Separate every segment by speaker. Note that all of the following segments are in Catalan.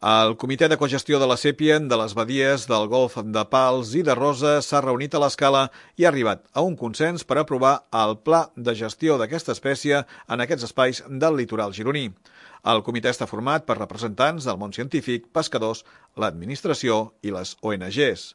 Speaker 1: El Comitè de Cogestió de la sèpia de les badies del Golf de Pals i de Rosa s'ha reunit a l'Escala i ha arribat a un consens per aprovar el pla de gestió d'aquesta espècie en aquests espais del litoral gironí. El comitè està format per representants del món científic, pescadors, l'administració i les ONGs.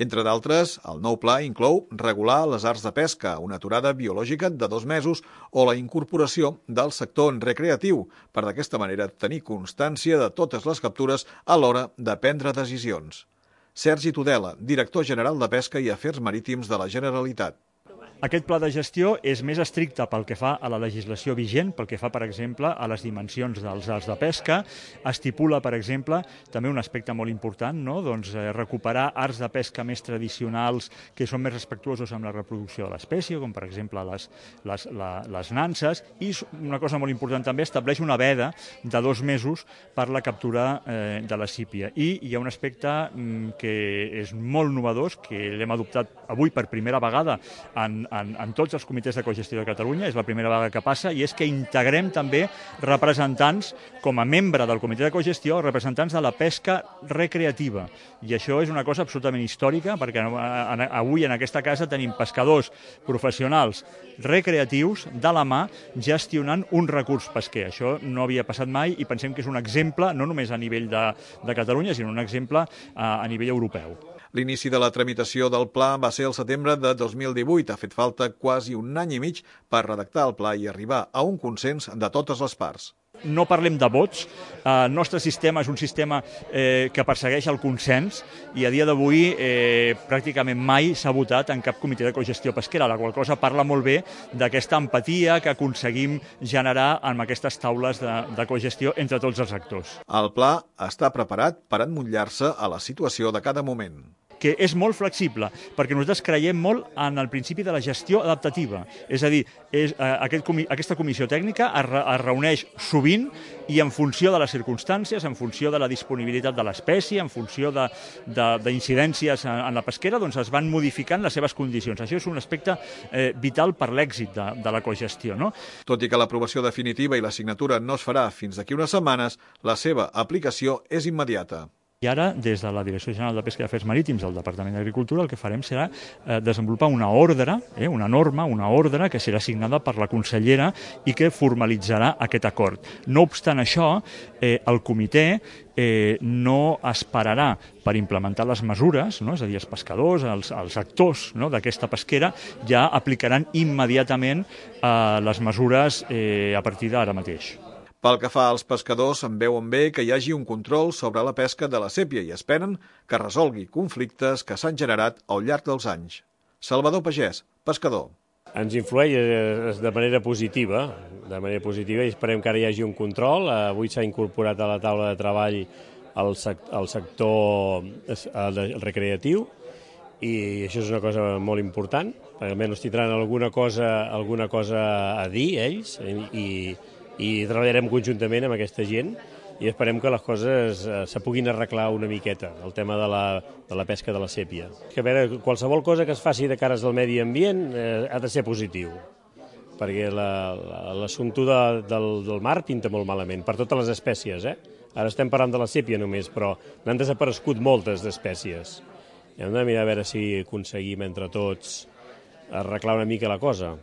Speaker 1: Entre d'altres, el nou pla inclou regular les arts de pesca, una aturada biològica de 2 mesos o la incorporació del sector recreatiu per d'aquesta manera tenir constància de totes les captures a l'hora de prendre decisions. Sergi Tudela, director general de Pesca i Afers Marítims de la Generalitat.
Speaker 2: Aquest pla de gestió és més estricte pel que fa a la legislació vigent, pel que fa, per exemple, a les dimensions dels arts de pesca. Estipula, per exemple, també un aspecte molt important, no? Recuperar arts de pesca més tradicionals que són més respectuosos amb la reproducció de l'espècie, com per exemple les nanses, i una cosa molt important també, estableix una veda de 2 mesos per la captura de la sípia. I hi ha un aspecte que és molt novedós, que l'hem adoptat avui per primera vegada en tots els comitès de cogestió de Catalunya, és la primera vegada que passa, i és que integrem també representants, com a membre del comitè de cogestió, representants de la pesca recreativa. I això és una cosa absolutament històrica, perquè avui en aquesta casa tenim pescadors professionals recreatius de la mà gestionant un recurs pesquer. Això no havia passat mai i pensem que és un exemple, no només a nivell de Catalunya, sinó un exemple a nivell europeu.
Speaker 1: L'inici de la tramitació del pla va ser el setembre de 2018. Ha fet falta quasi un any i mig per redactar el pla i arribar a un consens de totes les parts.
Speaker 2: No parlem de vots. El nostre sistema és un sistema que persegueix el consens i a dia d'avui pràcticament mai s'ha votat en cap comitè de cogestió pesquera, la qual cosa parla molt bé d'aquesta empatia que aconseguim generar amb aquestes taules de cogestió entre tots els actors.
Speaker 1: El pla està preparat per emmotllar-se a la situació de cada moment,
Speaker 2: que és molt flexible, perquè nosaltres creiem molt en el principi de la gestió adaptativa. És a dir, aquesta comissió tècnica es reuneix sovint i en funció de les circumstàncies, en funció de la disponibilitat de l'espècie, en funció d'incidències en la pesquera, doncs es van modificant les seves condicions. Això és un aspecte vital per l'èxit de la cogestió, no?
Speaker 1: Tot i que l'aprovació definitiva i la signatura no es farà fins d'aquí unes setmanes, la seva aplicació és immediata.
Speaker 2: I ara, des de la Direcció General de Pesca i Afers Marítims del Departament d'Agricultura, el que farem serà desenvolupar una ordre, una norma, una ordre que serà signada per la consellera i que formalitzarà aquest acord. No obstant això, el comitè no esperarà per implementar les mesures, no? És a dir, els pescadors, els actors, no? d'aquesta pesquera, ja aplicaran immediatament les mesures a partir d'ara mateix.
Speaker 1: Pel que fa als pescadors, en veuen bé que hi hagi un control sobre la pesca de la sèpia i esperen que resolgui conflictes que s'han generat al llarg dels anys. Salvador Pagès, pescador.
Speaker 3: Ens influeix de manera positiva i esperem que ara hi hagi un control. Avui s'ha incorporat a la taula de treball el sector recreatiu i això és una cosa molt important. Almenys tindran alguna cosa a dir ells i treballarem conjuntament amb aquesta gent i esperem que les coses se puguin arreglar una miqueta, el tema de la pesca de la sèpia. A veure, qualsevol cosa que es faci de cares al medi ambient ha de ser positiu, perquè l'assumpte del mar pinta molt malament, per totes les espècies. Ara estem parlant de la sèpia només, però n'han desaparegut moltes d'espècies. Hem de mirar a veure si aconseguim entre tots arreglar una mica la cosa.